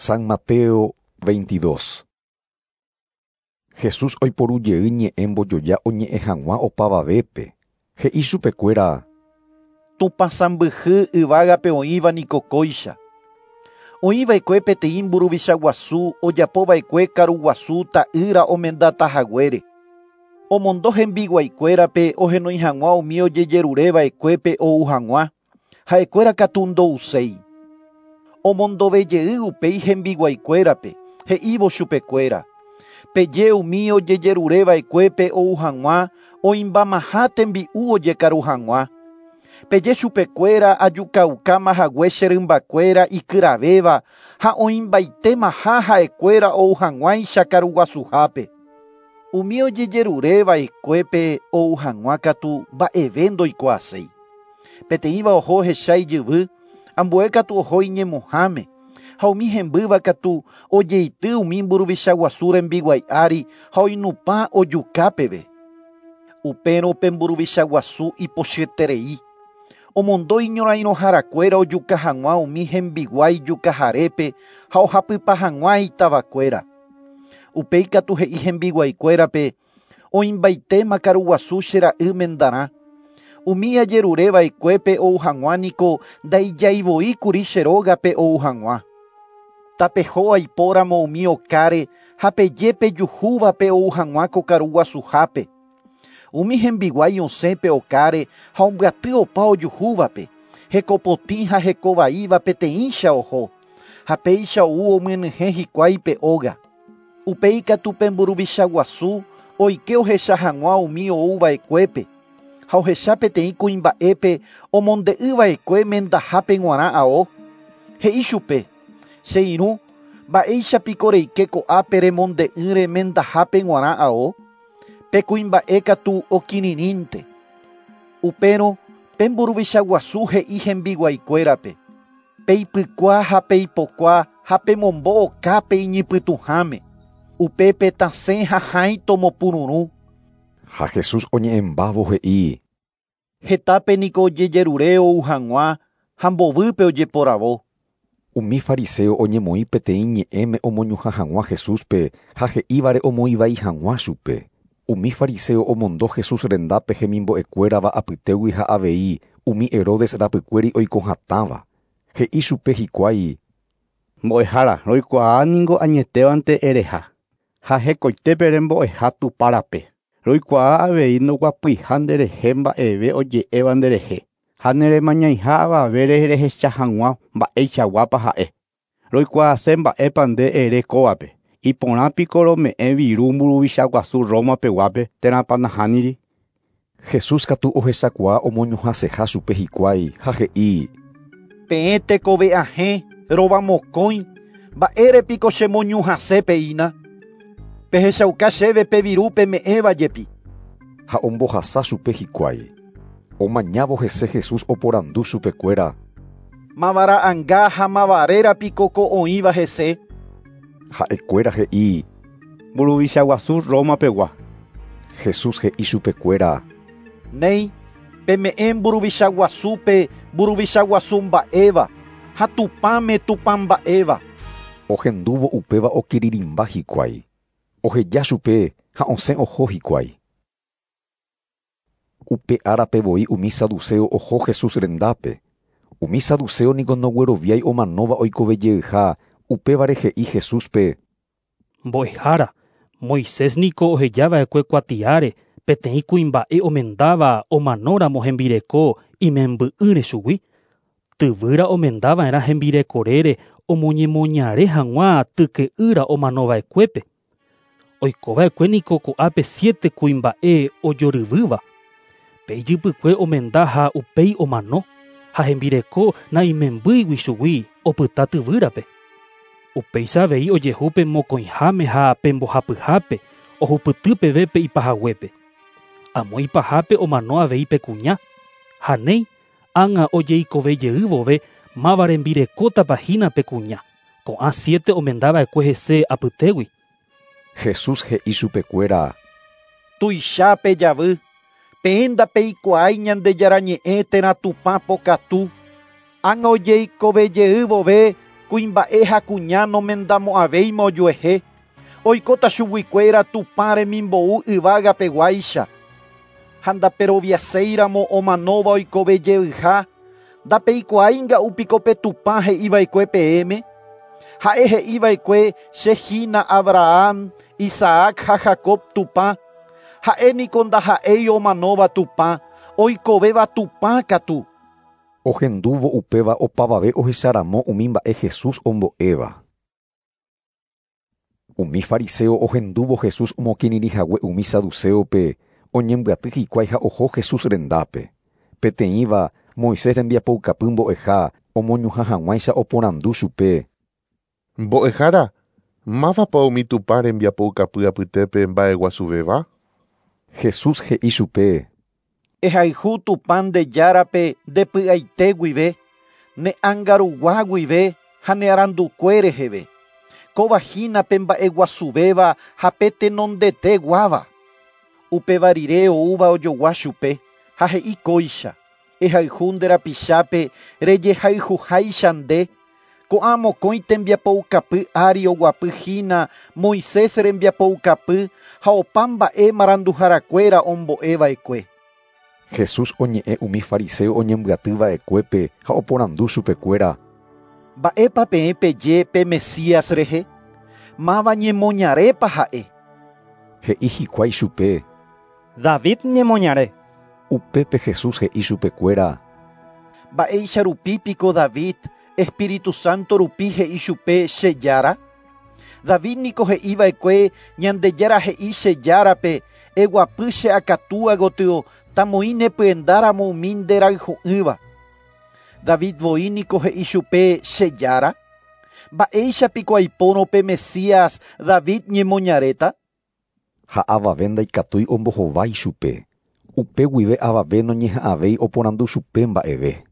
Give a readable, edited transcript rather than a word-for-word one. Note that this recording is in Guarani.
San Mateo 22. Jesús oiporujey ñe'ẽ mbojoja oñe'ẽ hag̃ua opavavépe. He'i chupekuéra: Tupã sãmbyhy yvágape oĩva niko kóicha. Oĩva'ekue peteĩ mburuvicha guasu ojapova'ekue karuguasu ta'ýra omendatahaguére. Omondo hembiguaikuérape ohenói hag̃ua umi ojejerureva'ekuépe ou hag̃ua, ha'ekuéra katu ndouséi. Omondovejey upéi hembiguaikuérape, he'ívo chupekuéra: Peje umi ojejerureva'ekuépe ou hag̃ua oĩmbamaha tembi'u ojekaru hag̃ua. Peje chupekuéra ajukaukámahague che rymbakuéra ikyravéva ha oĩmbaitemaha ha'ekuéra ou hag̃uáicha karuguasuhápe. Umi ojejerureva'ekuépe ou hag̃ua katu mba'eve ndoikuaaséi. Peteĩva oho ohecha ijyvy, ambue katu oho iñemohãme, ha umi hembýva katu ojeity umi mburuvicha guasu rembiguái ári ha oinupã ojuka peve. Upérõ pe mburuvicha guasu ipochyeterei. Omondo iñorairõharakuéra ojuka hag̃ua umi hembiguái jukaharépe ha ohapypa hag̃ua itavakuéra. Upéi katu he'i hembiguaikuérape oĩmbaitéma karuguasu che ra'y mendarã. Umi ajerureva'ekuépe ou hag̃ua niko ndaijaivoi che rógape ou hag̃ua. Tapeho aipóramo umi okáre ha peje pejuhúvape ou hag̃ua ko karuguasuhápe. Umi hembiguái osẽ pe okáre ha ombyaty opa ojuhúvape, hekopotĩ ha hekovaíva peteĩcha oho, ha péicha ou omyenyhẽ hikuái pe óga. Upéi katu pe mburuvicha guasu oike ohecha hag̃ua umi ouva'ekuépe, ha ohecha peteĩ kuimba'épe omonde'ỹva'ekue mendahápe g̃uarã ao. He'i chupe: Che irũ, mba'éichapiko reike ko'ápe remonde'ỹre mendahápe g̃uarã ao? Pe kuimba'e katu okirirĩnte. Upérõ pe mburuvicha guasu he'i hembiguaikuérape: Peipykua ha peipokua ha pemombo okápe iñipytũháme. Upépe tasẽ ha hãi tomopururũ. Ha Jesús oñe'ẽmbávo he'i: Hetápe niko ojejerure ou hag̃ua ha mbovýpe ojeporavo. Umi fariseo oñemoĩ peteĩ ñe'ẽme omoñuhã hag̃ua Jesúspe ha he'ívare omoĩvai hag̃ua chupe. Umi fariseo omondo Jesús rendápe hemimbo'ekuérava apytégui ha avei umi Herodes rapykuéri oiko hatãva. He'i chupe hikuái: Mbo'ehára, roikuaa niko añetévante ereha, ha hekoitépe rembo'eha Tupãrape. Roikuaa avei ndoguapyiha nderehe mba'eve oje'éva nderehe, ha neremañaiha avavére rehecha hag̃ua mba'eichaguápa ha'e. Roikuaase mba'épa nde ere kóvape. Iporãpiko rome'ẽ viru mburuvicha guasu Roma peguápe térãpa nahániri. Jesús katu ohechakuaa omoñuhãseha chupe hikuái ha he'i: Peẽ tekove'ahẽ rovamokõi, mba'érepiko chemoñuhãsépeína. Pehechauka chéve pe viru peme'ẽva jepi. Ha ombohasa chupe hikuái. Omañávo hese Jesús oporandu chupekuéra: Mavara'ãnga ha mavarérapiko ko oĩva hese. Ha'ekuéra he'i: Mburuvicha guasu Roma pegua. Jesús he'i chupekuéra: Néi, peme'ẽ mburuvicha guasúpe mburuvicha guasu mba'éva ha Tupãme Tupã mba'éva. Ohendúvo upéva okirirĩmba hikuái. Oheja chupe ha osẽ oho hikuái. Upe árape voi umi saduceo oho Jesús rendápe. Umi saduceo niko ndogueroviái omanóva oikovejeyha, upévare he'i Jesúspe: Mbo'ehára, Moisés niko ohejava'ekue kuatiáre peteĩ kuimba'e omendáva omanóramo hembireko imemby'ỹre chugui. Tyvýra omendava'erã hembirekorére omoñemoñare hag̃ua tyke'ýra omanova'ekuépe. Oikova'ekue niko ko'ápe 7 kuimba'e ojoryvýva. Pe ijypykue omenda ha upéi omano, ha hembireko naimembýigui chugui opyta tyvýrape. Upéicha avei ojehu pe mokõiháme ha pe mbohapyhápe ohupyty peve pe ipahaguépe. Amo ipahápe omano avei pe kuña. Ha néi, ág̃a ojeikovejey vove máva rembirekótapa hína pe kuña. Ko'ã 7 omendava'ekue hese apytégui. Jesús he'i chupekuéra: Tuicha pejavy, peẽ ndapeikuaái Ñandejára ñe'ẽ térã Tupã pokatu. Ág̃a ojeikovejey vove Kuimba'e ha kuña nomendamo'ãvéima ojuehe. Oikóta chuguikuéra Tupã remimbou yvágapeguáicha. Ha ndaperoviaséiramo omanóva oikovejeyha, ndapeikuaáinga'u pe Tupã he'iva'ekue peẽme. Ha'e he'iva'ekue che hína Abraham, Isaac ha Jacob Tupã. Ha'e niko ndaha'éi omanóva Tupã, oikovéva Tupã katu. Ohendúvo upéva opavave ohecharamo umi mba'e Jesús ombo'éva. Umi fariseo ohendúvo Jesús omokirirĩhague umi saduceope oñembyaty hikuái ha oho Jesús rendápe. Peteĩva Moisés rembiapoukapy mbo'eha omoñuhã hag̃uáicha oporandu chupe. Mbo'ehára, mávapa umi Tupã rembiapoukapy apytépe mba'eguasuvéva? Jesús he'i chupe. Ehayhu Tupã nde Járape ndepy'aite guive, ne ánga guive ha ne arandukue reheve. Kóva hína pe mba'eguasuvéva ha pe tenondeteguáva. Upéva rire oúva ojogua chupe ha he'i kóicha. Ehayhu nde rapichápe rejehayhuháicha nde. Ko'ã mokõi tembiapoukapy ári oguapy hína Moisés rembiapoukapy ha opa mba'e maranduharakuéra ombo'eva'ekue. Jesús oñe'ẽ umi fariseo oñembyatyva'ekuépe ha oporandu chupekuéra. Mba'épa peẽ peje pe Mesías rehe? Máva ñemoñarépa ha'e? He'i hikuái chupe. David ñemoñare. Upépe Jesús he'i chupekuéra. Mba'éicha rupi piko David, Espíritu Santo rupi he'i chupe che Jára? David niko he'iva'ekue Ñandejára he'i che Járape eguapy che akatúa gotyo tamoĩ nepyendáramo umi nderayhu'ỹva. David voi niko he'i chupe che Jára? Mba'éicha piko aipórõ pe Mesías David ñemoñaréta? Ha avave ndaikatúi ombohovái chupe. Upe guive avave noñeha'ãvéi oporandu chupe mba'eve.